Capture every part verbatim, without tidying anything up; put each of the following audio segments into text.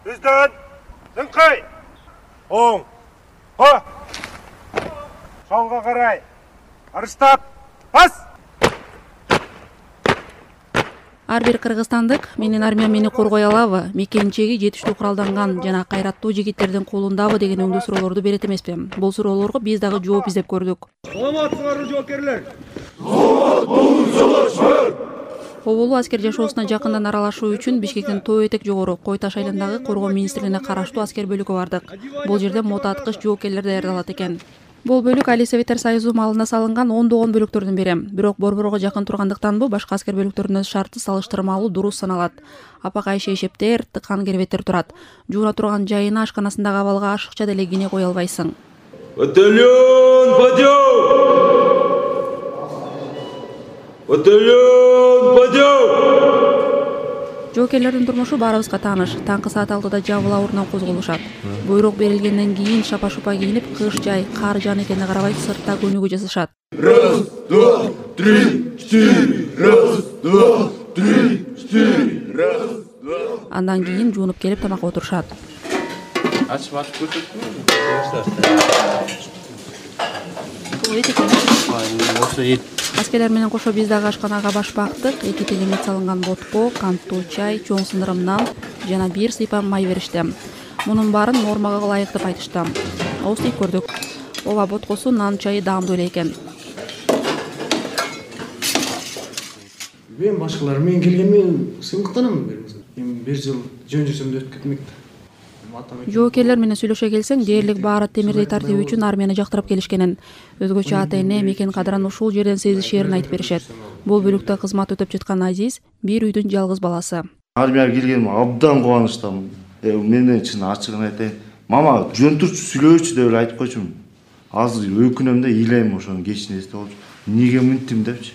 Түздөн, дыңкай. Оң. Ho. Солға қарай. Арыстап. Бас. Ар бир кыргызстандык менин армия мени коргой алабы, мекенчеги жетиштүү куралданган жана кайраттуу жигиттердин колундабы деген өңдүү суроолорду берет эмеспи. Бул суроолорго биз дагы жооп издеп көрдүк. Саламатсыздарбы жоокерлер? Саламат болуңуз жолдоштор. Оболу аскер жашоосуна жакындан аралашуу үчүн Бишкектин Тоо Этек жогору Кой Таш айылындагы Коргоо министрлигине караштуу аскер бөлүккө бардык. Бул жерде мото аткыч жоокерлер даярдалат экен. Бул бөлүк Али Советтер Союзу малына салынган ондогон бөлүктөрдүн бири. Бирок борборго жакын тургандыктанбы башка аскер бөлүктөрүнө шарты салыштырмалуу дуруус саналат. Апакайшы эшептер, тыкан кербеттер турат. Жууна турган жайына ашканасындагы абалга ашыкча деле кине кое албайсың. Батальон подъем! Батальон подъем! Жоокерлердин турмушу баарыбызга тааныш. Таңкы саат алтыда жабыла ордунан козголушат. Буйрук берилгенден кийин шапа-шупа кийинип, кыш жай, кар жаан экенине карабай сыртта көнүгүү жасашат. Раз, два, три, четыре. Раз, два, три, четыре. Раз, два. Андан кийин жуунуп келип тамакка отурушат. Ачып ачып көрсөттүңүзбү? Аскерлер менен кошо биз дагы ашканага баш бактык. Эки телемет салынган ботко, канттуу чай, чоң сындырым нан жана бир сыйпам май беришти. Мунун баарын нормага ылайык деп айтышты. Ооз тийип көрдүк. Ооба, боткосу, нан, чайы даамдуу эле экен. Мен башкалар менен келгенмен сыймыктанам. Эми бир жыл жөн жүрсөм да өтүп кетмек. Жоокерлер менен сүйлөшө келсең, дээрлик баары темирдей тартиби үчүн армияны жактырып келишкенин, өзгөчө ата эне, мекен кадырын ушул жерден сезишээрин айтып беришет. Бул бөлүктө кызмат өтөп жаткан Азиз бир үйдүн жалгыз баласы. Армияга келгениме абдан кубанычтамын. Менден чын ачыгын айтайын. Мама, жөн турчу сүйлөчү деп эле айтып койчумун. Азыр өкүнөм да ыйлайм ошону кечин эстеп алып. Эмнеге мынттим депчи.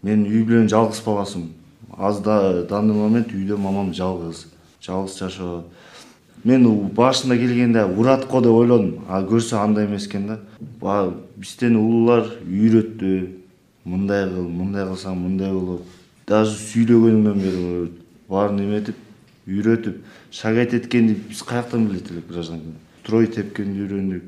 Мен үй бүлөнүн жалгыз баласымын. Аз да данный момент үйдө мамам жалгыз, жалгыз жашоо. Мен башында келгенде уратко деп ойлодум, а көрсө андай эмес экен да. Бизден улуулар үйрөттү. Мындай кыл, мындай кылсаң мындай болот. Даже сүйлөгөнүмдөн бери баарын эметип, үйрөтүп, шагайт эткенди биз каяктан билет элек гражданин. Строй тепкенди үйрөндүк,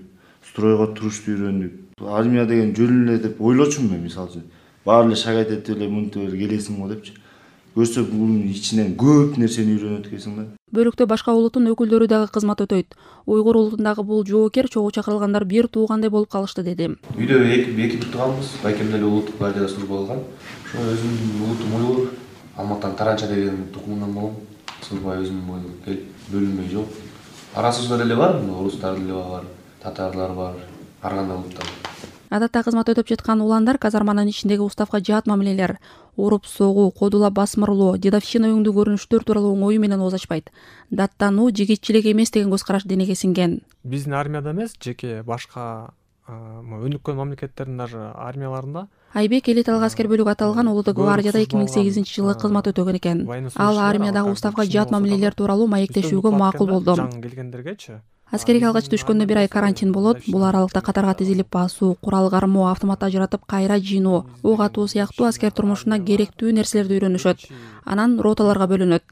стройго турушту үйрөндүк. Армия деген жөн эле деп ойлочумун мен, мисалы үчүн. Баары эле шагайт этип эле мынтип эле келесиң го депчи. Көрсө бунун ичинен көп нерсени үйрөнөт экенсиң да. Бөлүктө башка улуттун өкүлдөрү дагы кызмат өтөйт. Уйгур улутундагы бул жоокер чогуу чакырылгандар бир туугандай болуп калышты деди. Үйдө эки эки турганбыз. Байкем деле улуттук гвардияда служба кылган. Ошо өзүмдүн улутум уйгур. Алматыдан Таранча деген тукумунан болом. Служба өзүм келип бөлүнмөй жок. Арасыбызда деле бар, орустар деле бар, татарлар бар, ар кандай улуттар. Адатта кызмат өтөп жаткан уландар казарманын ичиндеги уставка жаат мамилелер, уруп согуу, кодулап басмырлоо, дедовщина өңдүү көрүнүштөр тууралуу оңою менен ооз ачпайт. Даттануу жигитчилик эмес деген көз караш денеге сиңген. Биздин армияда эмес, жеке башка өнүккөн мамлекеттердин даже армияларында. Айбек элиталык аскер бөлүк аталган Улуттук гвардияда эки миң сегизинчи жылы кызмат өтөгөн экен. Ал армиядагы уставка жаат мамилелер тууралуу маектешүүгө макул болду. Жаңы келгендергечи. Аскерге алгач түшкөндө бир ай карантин болот. Бул аралыкта катарга тизилип басуу, курал кармоо, автомат ажыратып кайра жыйноо, ок атуу сыяктуу аскер турмушуна керектүү нерселерди үйрөнүшөт. Анан роталарга бөлүнөт.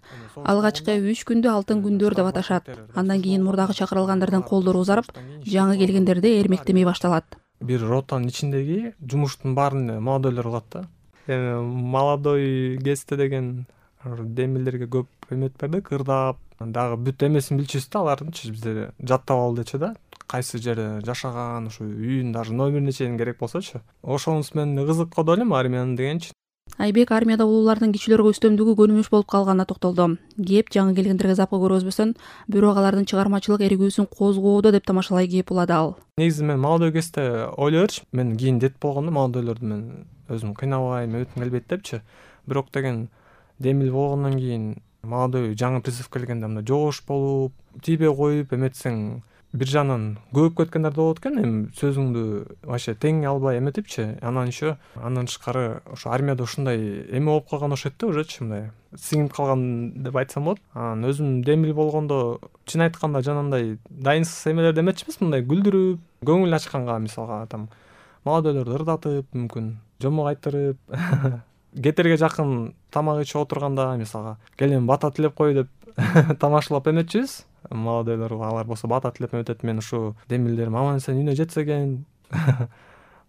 Алгачкы үч күндү алтын күндөр деп аташат. Андан кийин мурдагы чакырылгандардын колдору узарып, жаңы келгендерде эрмектемей башталат. Бир ротанын ичиндеги жумуштун баарын молодойлор кылат да. Эми молодой кезде деген демилерге көп эмет бердик, ырдап, дагы бүт эмесин билчүбүз да, алардынчы бизде жаттап алдычы да. Кайсы жерде жашаган, ошо үйүн даже номерине чейин керек болсочу. Ошонус менен кызык го элем армиянын дегенчи. Айбек армияда улуулардын кичилөргө үстөмдүгү көрүнүш болуп калганына токтолду. Кеп жаңы келгендерге запкы көргөзбөсөн, бирок алардын чыгармачылык эригүүсүн козгоодо деп тамашалай кеп улады ал. Негизи мен молодой кезде ойлойчу, мен кийин дет болгондо молодойлорду мен өзүм кыйнабайм, өтүм келбейт депчи. Бирок деген демил болгондон кийин молодой жаңы призыв келгенде мындай жоош болуп, тийбей коюп эметсең, бир жагынан көп кеткендер да болот экен. Эми сөзүңдү вообще тең албай эметипчи. Анан еще андан тышкары ошо армияда ушундай эме болуп калган окшойт да, ужечи мындай сиңип калган деп айтсам болот. Анан өзүм демил болгондо чын айтканда жанагындай дайынсыз эмелерди эметчи эмес, мындай күлдүрүп, көңүл ачканга, мисалга там молодойлорду ырдатып, мүмкүн жомок айтырып, кетерге жакын тамак ичип отурганда, мисалга келем бата тилеп кой деп тамашалап эметчүбүз. молодойлорго алар болсо бата тилеп өтөт. Мен ушу демилдерим аман эсен үйүнө жетсе экен.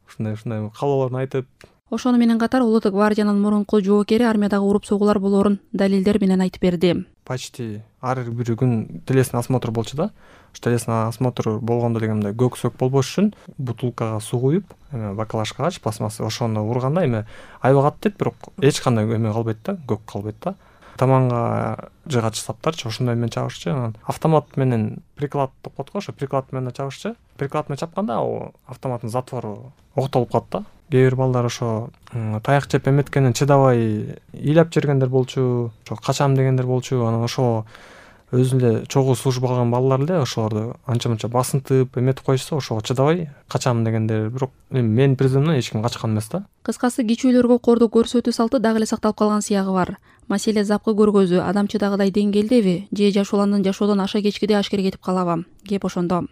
Ушундай ушундай каалоолорун айтып. Ошону менен катар Улуттук гвардиянын мурунку жоокери армиядагы уруп согуулар болоорун далилдер менен айтып берди. Почти ар бир күн телесный осмотр болчу да. Ушу телесный осмотр болгондо деген мындай көк сөк болбош үчүн бутылкага суу куюп, эме баклажкагач пластмасса ошону урганда эме айбагат дейт, бирок эч кандай эме калбайт да, көк калбайт да. Таманга жыгач саптарчы ошондой менен чабышчы. Анан автомат менен приклад деп коет го, ошо приклад менен чабышчы. Приклад менен чапканда ал автоматтын затвору октолуп калат да. Кээ бир балдар ошо таяк жеп эметкенин чыдабай ыйлап жибергендер болчу, ошо качам дегендер болчу. Анан ошо өзү эле чогуу служба кылган балдар эле ошолорду анча-мынча басынтып эметип коюшса, ошого чыдабай качам дегендер. Бирок мен призывымдан эч ким качкан эмес да. Кыскасы кичүүлөргө кордоо көрсөтүү салты дагы эле сакталып калган сыягы бар. Маселе запкы көргөзүү адамчыдагыдай деңгээлдеби же жашооландын жашоодон аша кечкиде ашкере кетип калабы? Кеп ошондо.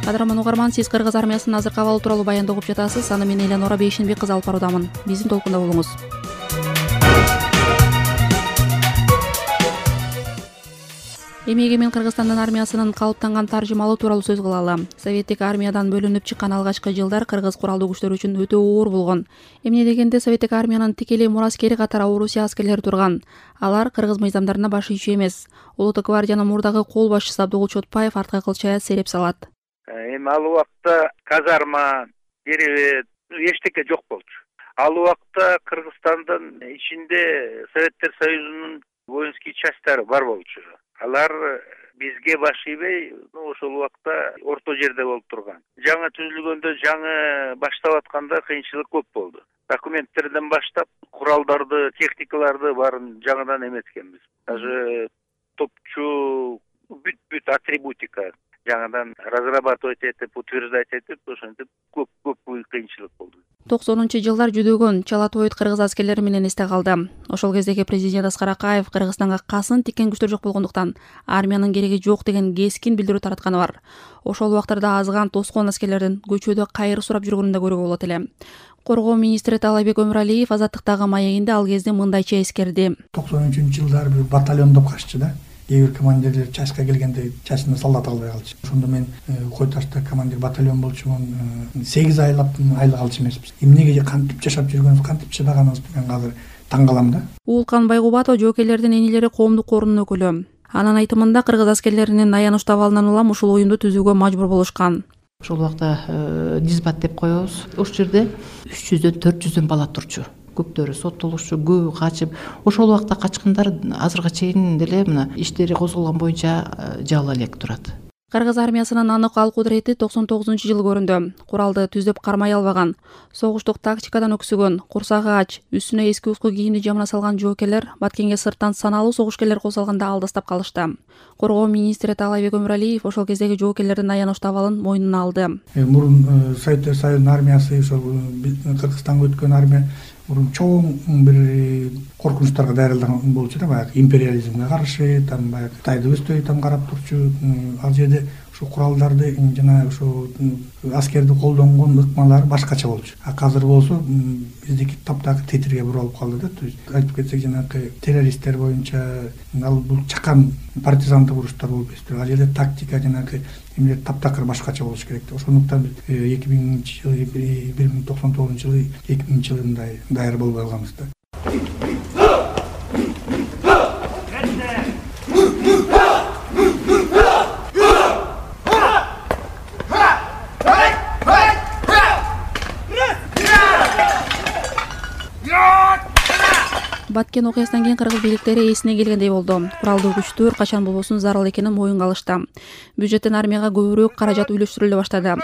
Кадырман угарман, сиз Кыргыз армиясынын азыркы абалы тууралуу баянды угуп жатасыз. Аны мен Эленора Бейшенбек кызы алып баруудамын. Биздин толкунда болуңуз. Эмеге мен Кыргызстандын армиясынын калыптанган таржымалы тууралуу сөз кылалы. Советтик армиядан бөлүнүп чыккан алгачкы жылдар кыргыз куралдуу күчтөрү үчүн өтө оор болгон. Эмне дегенде советтик армиянын тикелей мураскери катары Орусия аскерлери турган. Алар кыргыз мыйзамдарына баш ийчү эмес. Улуттук гвардиянын мурдагы кол башчысы Абдыгул Чотпаев артка кылчая сереп салат. Эми ал убакта казарма, керебет эчтеке жок болчу. Ал убакта Кыргызстандын ичинде Советтер Союзунун воинский частьтары бар болчу. Алар бизге баш ийбей, ошол убакта орто жерде болуп турган. Жаңы түзүлгөндө, жаңы баштап атканда кыйынчылык көп болду. Документтерден баштап куралдарды, техникаларды баарын жаңыдан эметкенбиз. Даже топчу бүт-бүт атрибутика жаңыдан разрабатывать этип, утверждать этип, ошентип көп-көп кыйынчылык болду. токсонунчу жылдар жүдөгөн Чалатоит кыргыз аскерлери менен эсте калды. Ошол кездеги президент Аскар Акаев Кыргызстанга касын тиккен күчтөр жок болгондуктан армиянын кереги жок деген кескин билдирүү таратканы бар. Ошол убактарда азган тоскоон аскерлердин көчөдө кайыр сурап жүргөнүн да көрүүгө болот эле. Коргоо министри Таалайбек Өмүралиев Азаттыктагы маегинде ал кезде мындайча эскерди. токсонунчу жылдар бир батальондоп каччы да. Кээ бир командирлер чачка келгенде чачына солдат албай калчу. Ошондо мен Кой Ташта командир батальон болчумун. сегиз айлап айлык алчу эмеспиз. Эмнеге кантип жашап жүргөнүбүз, кантип чыдаганыбыз мен азыр таң калам да. Уулкан Байгубатов жоокерлердин энелери коомдук корунун өкүлү. Анын айтымында кыргыз аскерлеринин аянычтуу абалынан улам ушул оюнду түзүүгө мажбур болушкан. Ошол убакта дисбат деп коебуз. Ошол жерде үч жүздөн төрт жүздөн бала турчу. Көктөрү соттолушчу, көбү качып. Ошол убакта качкандар азыркыга чейин деле мына иштери козголгон боюнча жала элек турат. Кыргыз армиясынын анык ал кудурети токсон тогузунчу жылы көрүндү. Куралды түздөп кармай албаган, согуштук тактикадан өксүгөн, курсагы ач, үстүнө эски уску кийимди жамына салган жоокерлер Баткенге сырттан саналуу согушкерлер косалганда алдастап калышты. Коргоо министри Таалайбек Өмүралиев ошол кездеги жоокерлердин аянычтуу абалын мойнуна алды. Мурун Советтер Союзунун армиясы ошол Кыргызстанга өткөн армия мурун чоң бир коркунучтарга даярдалган болчу да, баягы империализмге каршы, там баягы Кытайды өстөй там карап турчу. Ал жерде ушу куралдарды жана ушу аскерди колдонгон ыкмалар башкача болчу. А азыр болсо биздики таптакыр тетирге буралып калды да. То есть айтып кетсек жанагы террористтер боюнча ал бул чакан партизандык уруштар болуп эстер. Ал жерде тактика жанагы эмелер таптакыр башкача болуш керек. Ошондуктан эки миңинчи жылы, бир миң токсон тогузунчу жылы, эки миңинчи жылы мындай даяр болбой калганбыз да. Баткен окуясынан кийин кыргыз бийликтери эсине келгендей болду. Куралдуу күчтөр качан болбосун зарыл экенин моюнга алышты. Бюджеттен армияга көбүрөөк каражат үйлөштүрүлө баштады.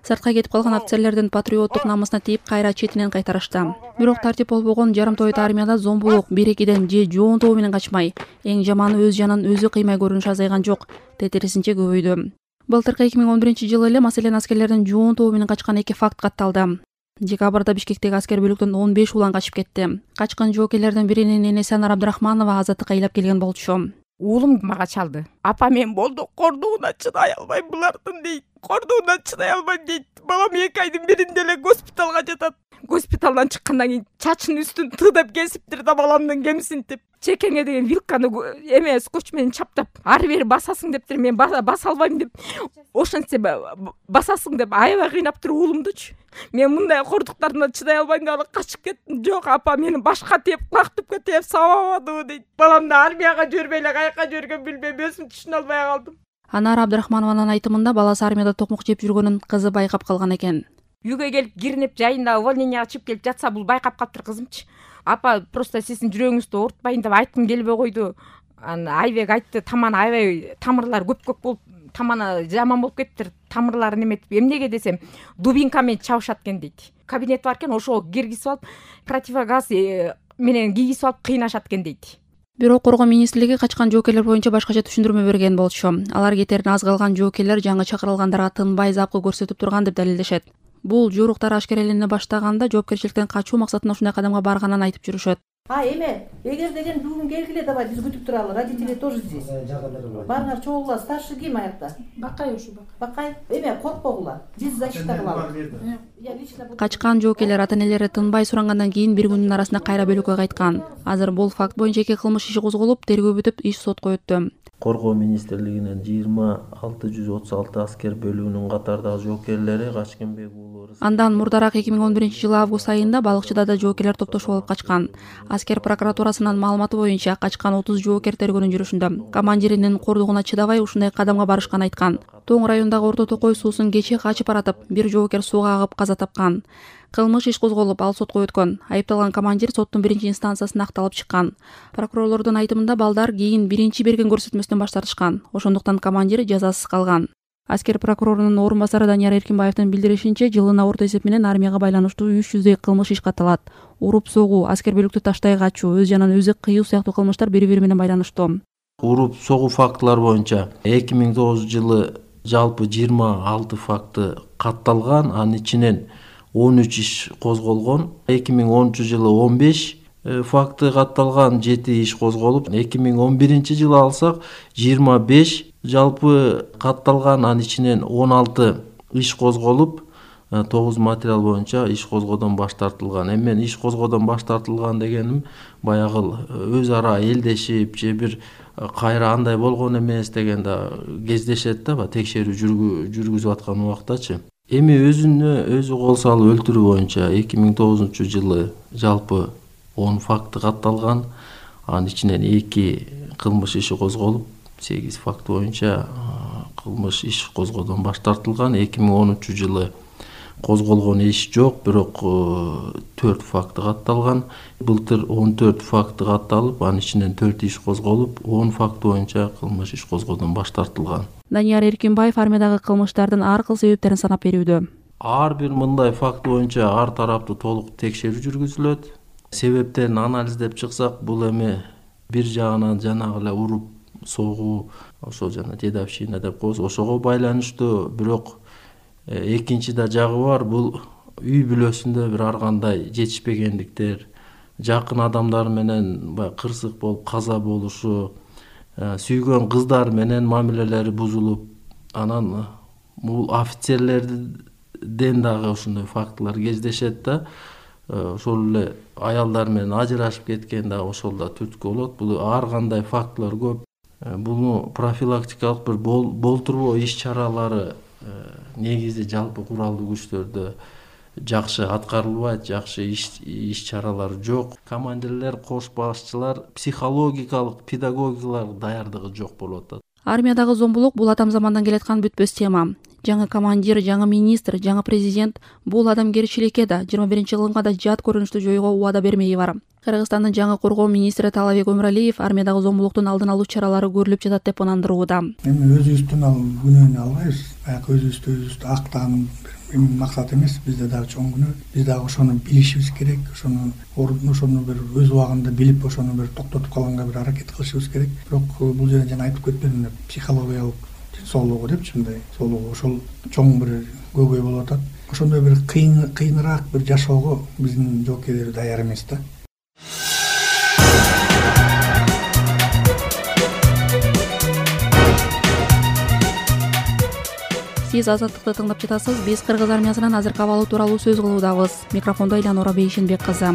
Сыртка кетип калган офицерлердин патриоттук намысына тийип кайра четинен кайтарышты. Бирок тартип болбогон жарым тоет армияда зомбулук бир-экиден же жоон тобу менен качмай, эң жаманы өз жанын өзү кыймай көрүнүшү азайган жок, тетирисинче көбөйдү. Былтыркы эки миң он биринчи жылы эле маселен аскерлердин жоон тобу менен качкан эки факт катталды. Декабрда Бишкектеги аскер бөлүктөн он беш улан качып кетти. Качкан жоокерлердин биринин энеси Анар Абдрахманова азаттыкка ыйлап келген болчу. Уулум мага чалды. Апа мен болду, кордууна чыдай албайм булардын дейт. Кордууна чыдай албайм дейт. Балам эки айдын биринде эле госпиталга жатат. госпиталдан чыккандан кийин чачын үстүн тыдап кесиптир да баламдын кемсинтип чекеңе деген вилканы эме скотч менен чаптап ары бери басасың дептир. Мен баса албайм деп ошентсе басасың деп аябай кыйнап туруп уулумдучу. Мен мындай кордуктарына чыдай албайм да качып кеттим. Жок апа мени башка теп кулак түпкө теп сабабадыбы дейт. Баламды армияга жибербей эле каяка жибергенин билбейм, өзүм түшүнө албай калдым. Анар Абдрахманованын айтымында баласы армияда токмок жеп жүргөнүн кызы байкап калган экен. Үйгө келип киринип жайында увольненияга чыгып келип жатса бул байкап калыптыр кызымчы. Апа просто сиздин жүрөгүңүздү оорутпайын деп айткым келбей койду. Айбек айтты, таманы аябай тамырлары көп-көп болуп, таманы жаман болуп кеттир. Тамырлары неметип, эмнеге десем, дубинка менен чабышат экен дейт. Кабинет бар экен, ошого киргизип алып, противогаз менен кийгизип алып кыйнашат экен дейт. Бирок Коргоо министрлиги качкан жоокерлер боюнча башкача түшүндүрмө берген болчу. Алар кетерин аз калган жоокерлер жаңы чакырылгандарга тынбай запкы көрсөтүп турган деп далилдешет. Бул жоруктар ашкерелене баштаганда жоопкерчиликтен качуу максатында ушундай кадамга барганын айтып жүрүшөт. А эме эгер деген бүгүн келгиле, давай биз күтүп туралы, родители тоже здесь. Барыңар чогулгула, старший ким аякта? Бакай ушу Бакай. Эме коркпогула, биз защита кылалы. Качкан жоокерлер ата-энелери тынбай сурангандан кийин бир күндүн арасында кайра бөлөккө кайткан. Азыр бул факт боюнча эки кылмыш иши козголуп, тергөө бүтүп, иш сотко өттү. Коргоо министрлигинин жыйырма алты жүз отуз алты аскер бөлүгүнүн катардагы жоокерлери Качкенбек уулу. Андан мурдараак эки миң он биринчи жылы август айында Балыкчыда да жоокерлер топтошуп алып качкан. Аскер прокуратурасынын маалыматы боюнча качкан отуз жоокер тергөөнүн жүрүшүндө. Командиринин кордугуна чыдабай ушундай кадамга барышкан айткан. Тоң районундагы Орто Токой суусун кече качып баратып, бир жоокер сууга агып каза тапкан. Кылмыш иш козголуп, ал сотко өткөн. Айыпталган командир соттун биринчи инстанциясына акталып чыккан. Прокурорлордун айтымында балдар кийин биринчи берген көрсөтмөсүнөн баш тартышкан. Ошондуктан командир жазасыз калган. Аскер прокурорунун орун басары Данияр Эркинбаевдин билдиришинче, жылына орто эсеп менен армияга байланыштуу үч жүздөй кылмыш иш катталат. Уруп согуу, аскер бөлүктү таштай качуу, өз жанын өзү кыюу сыяктуу кылмыштар бири-бири менен байланыштуу. Уруп согуу фактылар боюнча эки миң тогузунчу жылы жалпы жыйырма алты факты катталган, анын ичинен он үч иш козголгон. эки миң онунчу жылы он беш факты катталган, жети иш козголуп, эки миң он биринчи жылы алсак жыйырма беш жалпы катталган, анын ичинен он алты иш козголуп, тогуз материал боюнча иш козгоодон баш тартылган. Эми мен иш козгоодон баш тартылган дегеним баягы өз ара элдешип же бир кайра андай болгон эмес деген да кездешет да, текшерүү жүргүзүп аткан убактачы. Эми өзүнө өзү кол салып өлтүрүү боюнча эки миң тогузунчу жылы жалпы он факты катталган, анын ичинен эки кылмыш иши козголуп, сегиз факт боюнча кылмыш иш козгоодон баш тартылган. эки миң онунчу жылы козголгон иш жок, бирок төрт факты катталган. Былтыр он төрт факты катталып, анын ичинен төрт иш козголуп, он факт боюнча кылмыш иш козгоодон баш тартылган. Данияр Эркинбаев армиядагы кылмыштардын ар кыл себептерин санап берүүдө. Ар бир мындай факт боюнча ар тараптуу толук текшерүү жүргүзүлөт. Себептерин анализдеп чыксак, бул эми бир жагынан жанагы эле уруп согуу, ошо жана дедовщина деп коебуз, ошого байланыштуу. Бирок экинчи да жагы бар, бул үй бүлөсүндө бир ар кандай жетишпегендиктер, жакын адамдар менен баягы кырсык болуп каза болушу, сүйгөн кыздар менен мамилелери бузулуп, анан бул офицерлерден дагы ошондой фактылар кездешет да. Ошол эле аялдар менен ажырашып кеткен да ошол да түрткү болот. Бул ар кандай фактылар көп. Буну профилактикалык бир болтурбоо иш чаралары негизи жалпы куралдуу күчтөрдө жакшы аткарылбайт, жакшы иш чаралар жок. Командирлер, кош башчылар психологикалык, педагогикалык даярдыгы жок болуп атат. Армиядагы зомбулук бул атам замандан келаткан бүтпөс тема. Жаңы командир, жаңы министр, жаңы президент бул адамгерчиликке да, жыйырма биринчи кылымга да жат көрүнүштү жоюуга убада бермеги бар. Кыргызстандын жаңы коргоо министри Таалабек Өмүралиев армиядагы зомбулуктун алдын алуу чаралары көрүлүп жатат деп ынандырууда. Эми өзүбүздүн ал күнөөнү албайбыз. Баягы өзүбүздү өзүбүздү актаган максат эмес, бизде дагы чоң күнөө. Биз дагы ошону билишибиз керек, ошону ошону бир өз убагында билип, ошону бир токтотуп калганга бир аракет кылышыбыз керек. Бирок бул жерде жана айтып кетпедим, психологиялык соолугу депчи, мындай соолугу ошол чоң бир көйгөй болуп атат. Ошондой бир кыйын кыйыныраак бир жашоого биздин жоокерлер даяр эмес да. сиз Азаттыкты тыңдап жатасыз. Биз кыргыз армиясынын азыркы абалы тууралуу сөз кылуудабыз. Микрофондо Элянора Бейшенбек кызы.